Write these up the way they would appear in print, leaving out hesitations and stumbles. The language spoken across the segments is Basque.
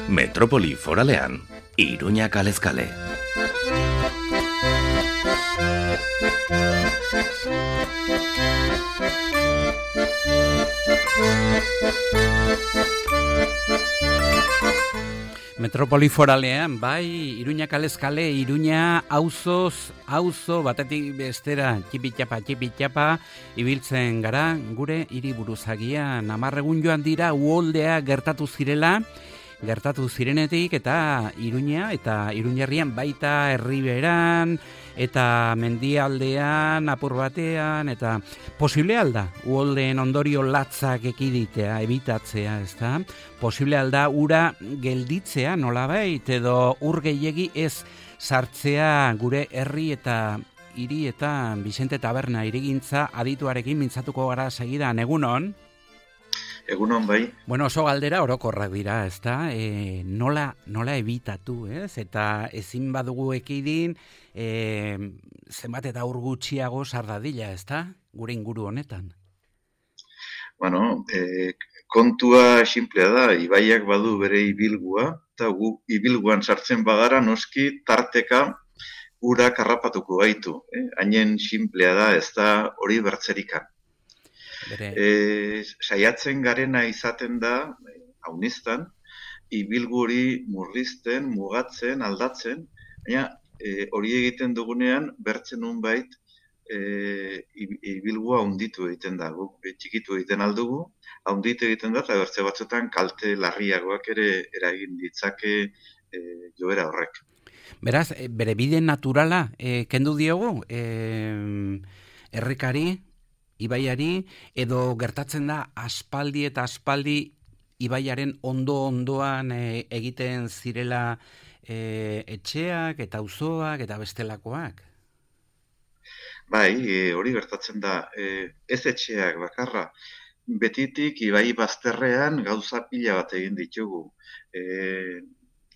Metropoli foralean, Iruña kalez kale. Metropoli foralean, bai, Iruña kalez kale, Iruña auzo batetik bestera, txipitxapa, ibiltzen gara, gure hiriburuzagian 10 egun joan dira uholdea gertatu zirenetik eta Iruña eta Iruñerrian baita Herriberan eta mendialdean apur batean eta posible alda uholdeen ondorio latzak ekiditea, ebitatzea, ezta? Posible alda ura gelditzea nolabait edo ur gehiegi ez sartzea gure herri eta hiri eta Vicente Taberna hirigintza adituarekin mintzatuko gara segidan, egunon? Egunon bai. Bueno, oso galdera orokorrak dira, ezta? Nola ebitatu, ez? Eta ezin badugu ekidin, zenbat eta ur gutxiago sardadila, ezta? Gure inguru honetan. Bueno, kontua sinplea da, ibaiak badu bere ibilgua, eta gu ibilguan sartzen bagara noski tarteka ura karrapatuko gaitu. Hainen sinplea da, ez da hori bertzerikan. Saiatzen garena izaten da, haunistan, ibilgu hori murrizten, mugatzen, aldatzen, baina hori egiten dugunean, bertzen nunbait, ibilgua haunditu egiten da, txikitu egiten aldugu, haunditu egiten da, eta bertze batzuetan kalte larriagoak ere eragin ditzake joera horrek. Beraz, bere bide naturala, kendu diogu, errekari, ibaiari, edo gertatzen da aspaldi ibaiaren ondoan egiten zirela etxeak eta auzoak eta bestelakoak? Bai, hori gertatzen da. Ez etxeak bakarra. Betitik ibai bazterrean gauza pila bat egin ditugu.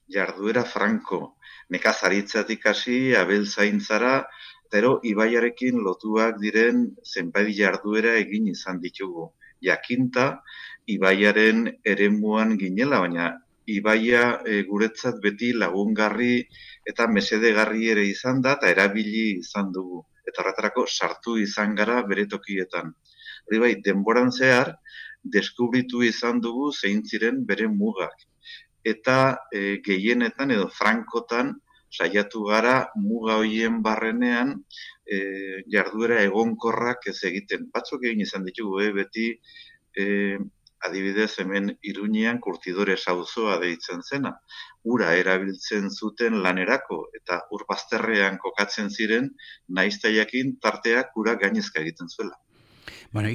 Jarduera franko, nekazaritzatik hasi, abeltzaintzara, pero ibaiarekin lotuak diren zenbait jarduera egin izan ditugu. Jakinta, ibaiaren eremuan ginela, baina ibaia guretzat beti lagungarri eta mesedegarri ere izan da, eta erabili izan dugu. Eta horretarako sartu izan gara bere tokietan. Hori bai, denboran zehar, deskubritu izan dugu zein ziren bere mugak. Eta gehienetan edo frankotan, saiatu gara muga hoien barrenean jarduera egonkorrak ez egiten. Batzuk egin izan ditugu, beti adibidez hemen Iruñean Kurtidores auzoa deitzen zena. Ura erabiltzen zuten lanerako eta ur bazterrean kokatzen ziren, naizta jakin tarteak ura gainezka egiten zuela. Bueno,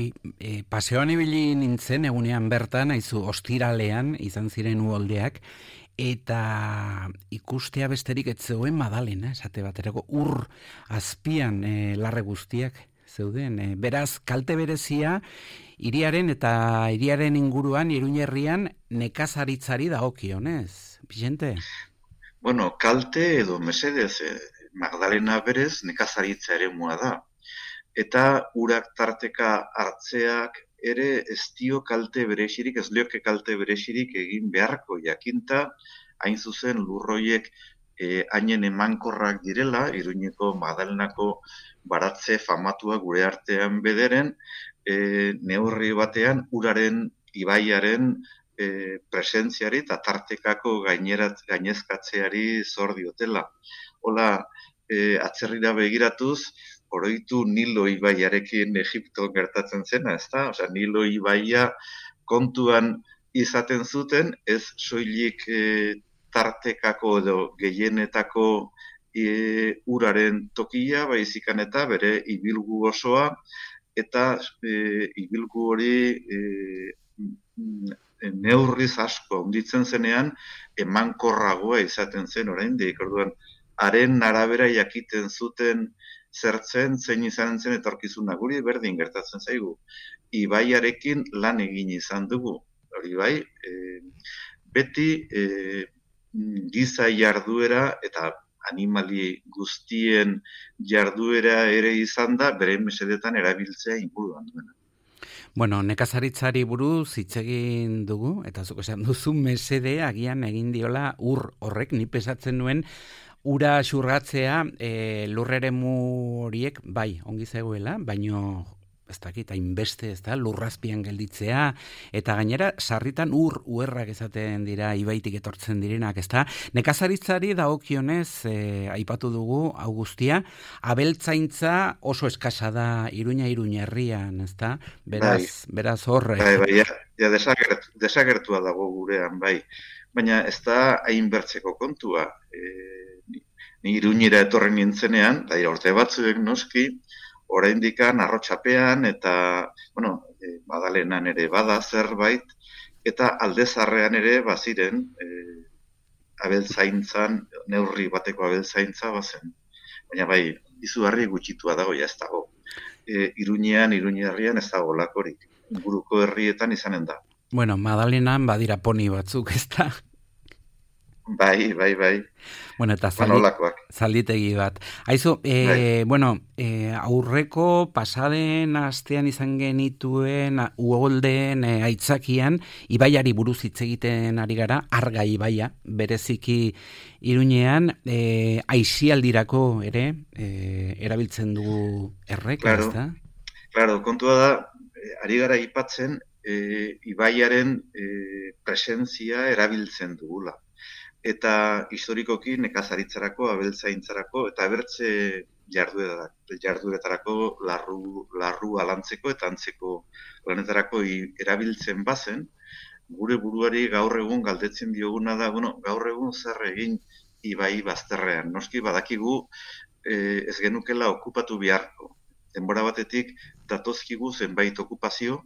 paseoan ibili nintzen egunean bertan, aizu ostiralean izan ziren uholdeak, eta ikustea besterik ez zegoen Madalena, esate baterako ur azpian larre guztiak zeuden. Beraz, kalte berezia, hiriaren eta hiriaren inguruan, Iruñerrian, nekazaritzari dagokionez, Vicente? Bueno, kalte edo mesedez, Magdalena berez nekazaritza eremua da. Eta urak tarteka hartzeak ere ez dio kalte berezirik, ez lioke kalte berezirik egin beharko jakinta, hain zuzen lurroiek hainen emankorrak direla, Iruñeko Magdalenako baratze famatua gure artean bederen, neurri batean uraren, ibaiaren presentziari eta tartekako gainezkatzeari zor diotela. Hola, atzerrira begiratuz, oroitu Nilo ibaiarekin Egipton gertatzen zena, ezta? Osea, Nilo ibaia kontuan izaten zuten, ez soilik tartekako edo gehienetako uraren tokia, baizikan eta bere ibilgu osoa, eta ibilgu hori neurriz asko handitzen zenean, emankorragoa izaten zen oraindik. Orduan, haren arabera jakiten zuten zertzen, zein izan zen etorkizuna, guri berdin gertatzen zaigu. Ibaiarekin lan egin izan dugu. Hori bai, beti giza jarduera eta animali guztien jarduera ere izan da, bere mesedetan erabiltzea inguruan duena. Bueno, nekazaritzari buruz hitz egin dugu, eta zuk esan duzu mesede agian egin diola ur horrek, ni pesatzen nuen, ura xurgatzea lurreremu horiek, bai, ongi zegoela, baino ez dakit, hainbeste, ez da, lurrazpian gelditzea, eta gainera, sarritan uerrak esaten dira, ibaitik etortzen direnak, ez da, nekazaritzari dagokionez, aipatu dugu, hau guztia, abeltzaintza oso eskasa da Iruña herrian, ez da, beraz horre. Bai, ja desagertua dago gurean, bai, baina ez da hainbertzeko kontua, ni Iruñera etorren nintzenean, da urte batzuek noski, oraindikan Arrotxapean eta, Madalenan ere bada zerbait, eta Aldezarrean ere baziren abeltzaintzan, neurri bateko abeltzaintza bazen. Baina bai, izugarri gutxitua dago, ja ez dago. Iruña herrian ez dago lakorik. Inguruko herrietan izanen da. Bueno, Madalenan badira poni batzuk, ez da? Bai. Bueno, eta zalditegi bat. Aizu, aurreko pasaden astean izan genituen uholdeen aitzakian, ibaiari buruz hitz egiten ari gara, Arga ibaia, bereziki Iruñean, aisialdirako ere, erabiltzen dugu errek, ez da? Claro, kontua da, ari gara aipatzen, ibaiaren presentzia erabiltzen dugula. Eta historikoki nekazaritzarako, abeltzaintzarako eta abertze jardueretarako larru alantzeko eta antzeko lanetarako erabiltzen bazen, gure buruari gaur egun galdetzen dioguna da, gaur egun zer egin ibai bazterrean. Noski badakigu ez genukela okupatu beharko. Denbora batetik datozkigu zenbait okupazio,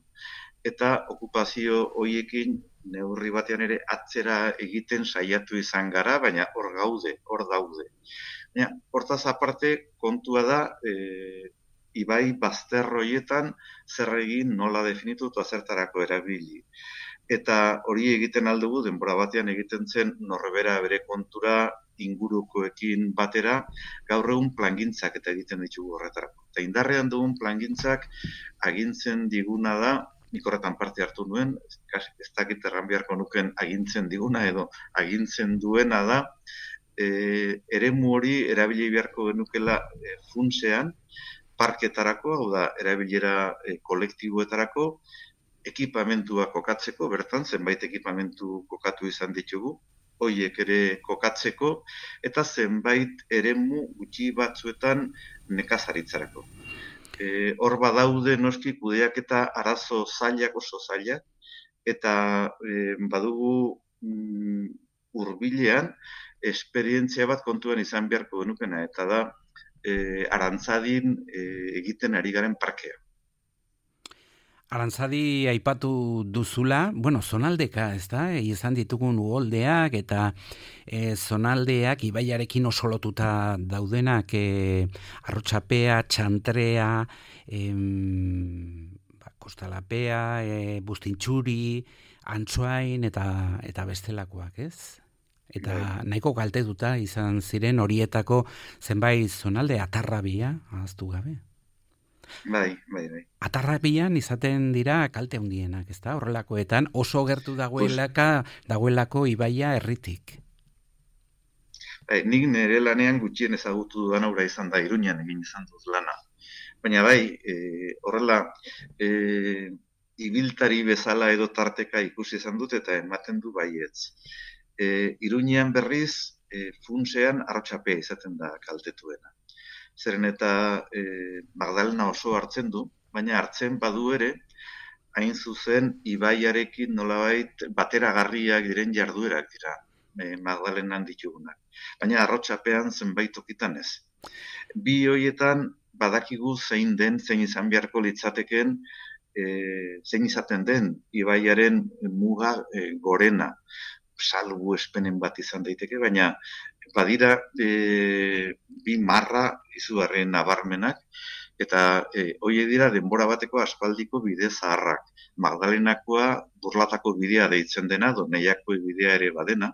eta okupazio horiekin neurri batean ere atzera egiten saiatu izan gara, baina hor daude. Hortaz aparte kontua da, ibai bazter horietan zer egin, nola definitu eta zertarako erabili. Eta hori egiten aldugu, denbora batean egiten zen norbera bere kontura ingurukoekin batera, gaur egun plangintzak eta egiten ditugu horretarako. Eta indarrean dugun plangintzak agintzen diguna da, nik horretan parte hartu nuen, ez dakit erran beharko nuken agintzen diguna edo agintzen duena da, eremu hori erabili beharko genukela funtsean, parketarako, hau da, erabilera kolektiboetarako, ekipamentua kokatzeko, bertan zenbait ekipamentu kokatu izan ditugu, hoiek ere kokatzeko, eta zenbait eremu gutxi batzuetan nekazaritzarako. Hor badaude noski kudeaketa arazo zailak oso zailak, eta badugu hurbilean esperientzia bat kontuan izan beharko genukena, eta da Arantzadin egiten ari garen parkea. Arantzadi aipatu duzula, zonaldeka, ez da? Izan ditugun uholdeak eta zonaldeak ibaiarekin oso lotuta daudenak, Arrotxapea, Txantrea, Kostalapea, Bustintxuri, Antsoain eta bestelakoak, ez? Eta nahiko kaltetuta izan ziren horietako zenbait zonalde, Atarrabia, ahaztu gabe. Bai. Atarrapian izaten dira kalte handienak, ez da? Horrelakoetan oso gertu dagoelako ibaia herritik. Nik nire lanean gutxien ezagutu dudan aurra izan da, Iruñan egin izan dut lana. Baina horrela, ibiltari bezala edo tarteka ikusi izan dut eta ematen du baietz. Iruñean berriz, funtsean Arrotxapea izaten da kaltetuena. Zeren eta Magdalena oso hartzen du, baina hartzen badu ere, hain zuzen ibaiarekin nolabait bateragarriak diren jarduerak dira Magdalenan ditugunak. Baina Arrotxapean zenbait tokitan ez. Bi horietan badakigu zein izan beharko litzateken, zein izaten den ibaiaren muga gorena, salbu espenen bat izan daiteke, baina badira bi marra izugarren nabarmenak, eta horiek dira denbora bateko aspaldiko bide zaharrak. Magdalenakoa Burlatako bidea deitzen dena, Doneiako bidea ere badena,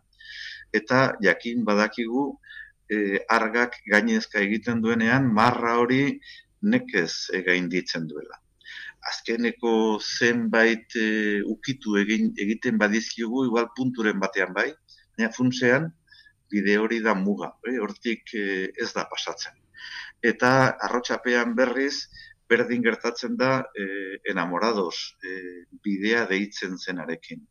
eta jakin badakigu argak gainezka egiten duenean, marra hori nekez gainditzen duela. azkeneko zenbait ukitu egiten badizkigu, igual punturen batean bai, baina funtsean bide hori da muga, hortik ez da pasatzen. Eta arrotxapean berriz, berdin gertatzen da enamorados bidea deitzen zenarekin.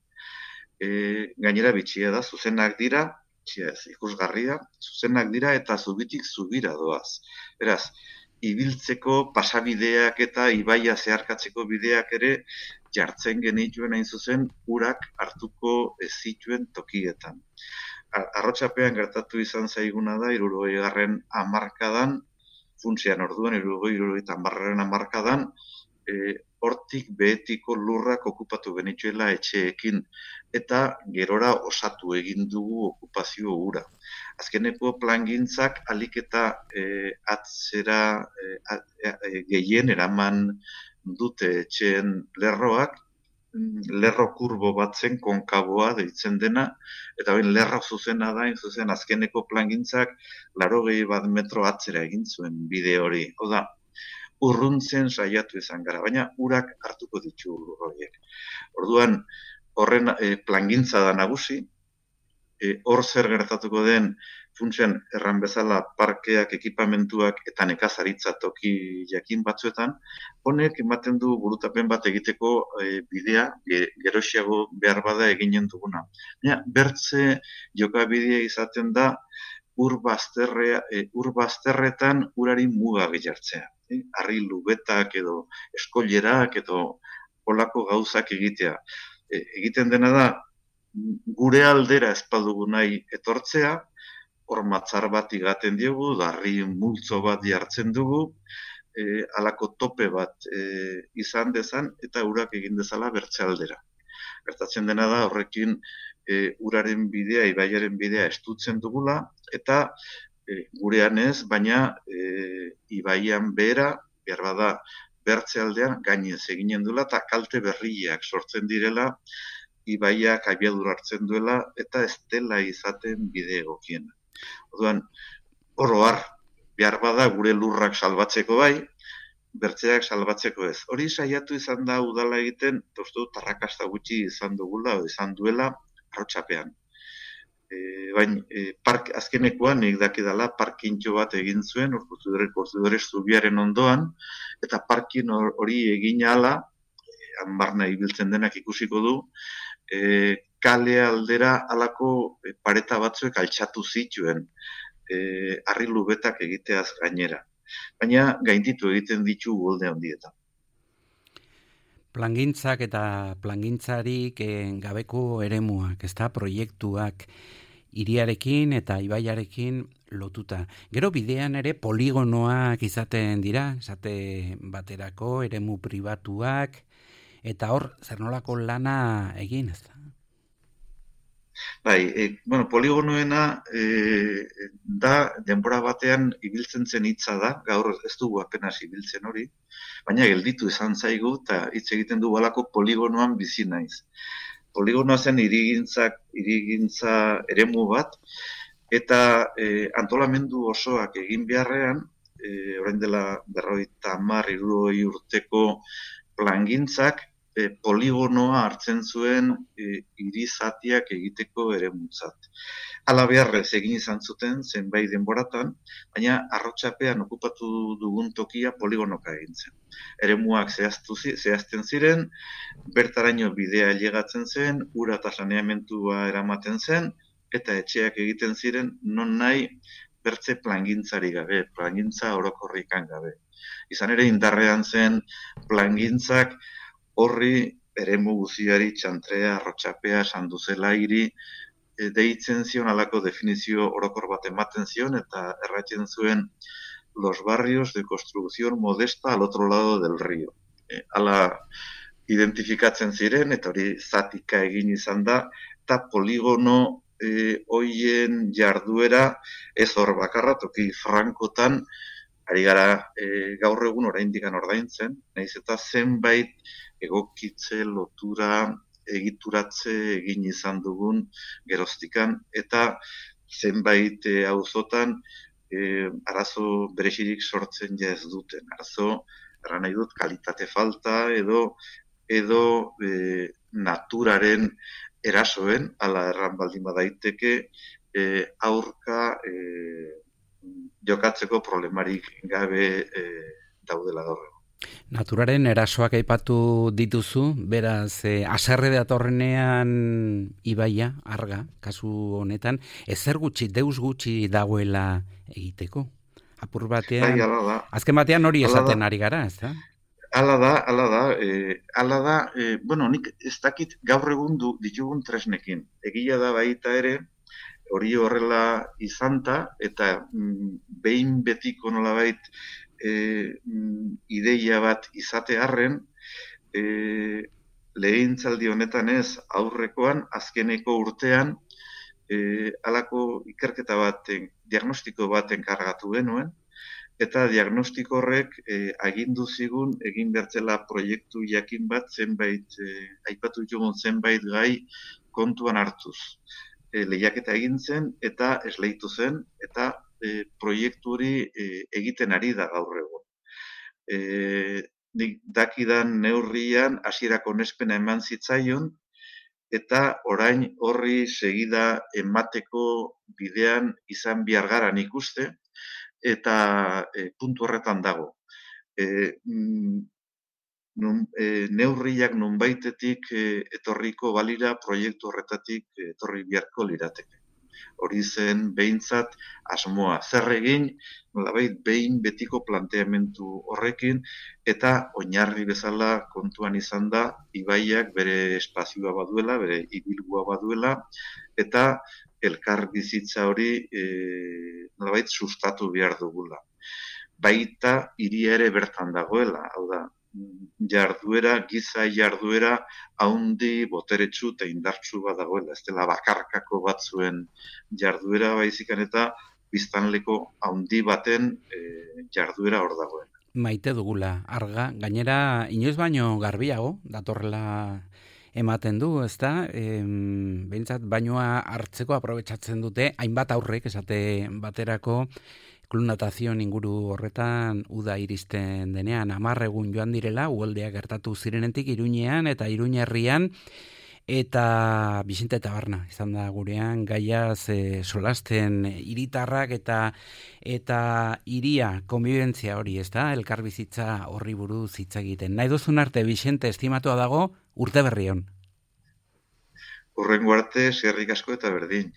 Gainera bitxia da, zuzenak dira, ikusgarria, zuzenak dira eta zubitik zubira doaz. Beraz, ibiltzeko pasabideak eta ibaia zeharkatzeko bideak ere jartzen genituen hain zuzen urak hartuko ez zituen tokietan. Arrotxapean gertatu izan zaiguna da 60. hamarkadan, funtsean orduan 60. hamarkadan, hortik behetiko lurrak okupatu genituela etxeekin eta gerora osatu egin dugu okupazio hura. Azkeneko plangintzak alik eta atzera gehien eraman dute etxeen lerroak, lerro kurbo bat zen konkaboa deitzen dena, eta bain lerro zuzena da, zuzen azkeneko plangintzak 80 metro atzera egin zuen bide hori. Oda, urruntzen saiatu izan gara, baina urak hartuko ditu lur horiek. Orduan, horren plangintza da nagusi, hor zer gertatuko den funtsen erran bezala parkeak, ekipamentuak eta nekazaritza toki jakin batzuetan, honek ematen du burutapen bat egiteko bidea, geroxiago behar bada eginen duguna. Bertze jokabidea izaten da ur bazterretan urari muga jartzea. Harri lubetak edo eskolerak edo olako gauzak egitea. Egiten dena da, gure aldera ez badugu nahi etortzea, hor matzar bat igaten diogu, darri multzo bat jartzen dugu, halako tope bat izan dezan, eta urak egin dezala bertze aldera. Gertatzen dena da, horrekin uraren bidea, ibaiaren bidea estutzen dugula, eta gurean ez, baina ibaian behera, behar bada bertze aldean, gainez eginen duela, eta kalte berriak sortzen direla, ibaiak abiadur hartzen duela, eta ez dela izaten bide egokiena. Orduan, oro har, behar bada gure lurrak salbatzeko bai, bertzeak salbatzeko ez. Hori saiatu izan da udala egiten, uste dut arrakasta gutxi izan dugula, izan duela, arrotxapean. Baina, azkenekoan nik dakidala parkintxo bat egin zuen, Ortudere zubiaren ondoan, eta parkin hori egin ahala, hanbarna ibiltzen denak ikusiko du, kale aldera halako pareta batzuek altxatu zituen, harri lubetak egiteaz gainera. Baina gainditu egiten ditu golde handietan. Plangintzak eta plangintzarik gabeko eremuak, ezta, proiektuak hiriarekin eta ibaiarekin lotuta. Gero bidean ere poligonoak izaten dira, esate baterako eremu pribatuak, eta hor zer nolako lana egin, ezta? Bai, poligonoena da denbora batean ibiltzen zen hitza da, gaur ez dugu apenas ibiltzen hori, baina gelditu izan zaigu eta hitz egiten du halako poligonoan bizi naiz. Poligonoa zen hirigintza eremu bat, eta antolamendu osoak egin beharrean, orain dela 50-60 urteko plangintzak, poligonoa hartzen zuen hiri zatiak egiteko eremutzat. Hala beharrez egin izan zuten zenbait denboratan, baina arrotxapean okupatu dugun tokia poligonoka egin zen. Eremuak zehazten ziren, bertaraino bidea ailegatzen zen, ura eta saneamentua eramaten zen, eta etxeak egiten ziren non nahi bertze plangintzari gabe, plangintza orokorrikan gabe. Izan ere indarrean zen plangintzak horri eremu guziari txantrea, arrotxapea, sanduzela hiri, deitzen zion alako definizio orokor bat ematen zion eta erratzen zuen los barrios de construcción modesta al otro lado del río. Hala identifikatzen ziren eta hori zatika egin izan da, eta poligono hoien jarduera ez hor bakarra, toki frankotan, ari gara gaur egun oraindik ordaintzen, nahiz eta zenbait egokitze, lotura, egituratze egin izan dugun geroztikan, eta zenbait auzotan arazo berezirik sortzen ja ez duten. erran nahi dut, kalitate falta edo naturaren erasoen, ala erran baldin badaiteke, aurka jokatzeko problemarik gabe daudela gaur. Naturaren erasoak aipatu dituzu, beraz, haserre datorrenean ibaia, Arga, kasu honetan, ezer gutxi, deus gutxi dagoela egiteko. Apur batean, azken batean hori esaten ari gara, ez da? Hala da, bueno, nik ez dakit gaur egun ditugun tresnekin. Egia da baita ere, hori horrela izanta, eta behin betiko nolabait ideia bat izate harren, lehentzaldi honetan ez aurrekoan, azkeneko urtean, halako ikerketa baten, diagnostiko baten kargatu genuen, eta diagnostiko horrek agindu zigun egin bertzela proiektu jakin bat zenbait, aipatu ditugun zenbait gai kontuan hartuz. Lehiaketa egin zen eta esleitu zen, eta proiektu hori egiten ari da gaur egun. Nik dakidan neurrian hasierako onespena eman zitzaion, eta orain horri segida emateko bidean izan behar gara nik uste, eta puntu horretan dago. Neurriak nonbaitetik etorriko balira proiektu horretatik etorri beharko lirateke. Hori zen behintzat asmoa. Zer egin, nolabait behin betiko planteamendu horrekin, eta oinarri bezala kontuan izan da, ibaiak bere espazioa baduela, bere ibilgua baduela, eta elkar bizitza hori nolabait sustatu behar dugula. Baita hiria ere bertan dagoela, hau da, giza jarduera haundi boteretsu eta indartsu bat dagoela, ez dela bakarkako batzuen jarduera baizikan eta biztanleko haundi baten jarduera hor dagoen. Maite dugula, Arga, gainera inoiz baino garbiago, datorrela ematen du, ez da? Behintzat bainoa hartzeko aprobetxatzen dute, hainbat aurrek esate baterako, klub natazioen inguru horretan uda iristen denean, 10 egun joan direla, uholdeak gertatu zirenetik Iruñean eta Iruñerrian, eta Bizente Tabarna izan da gurean, gaiaz solasten hiritarrak eta hiria konbibentzia hori, ez da? Elkarbizitza horri buruz hitz egiten. Nahi duzun arte, Bizente, estimatua dago, urte berri on. Hurrengo arte, eskerrik asko eta berdin.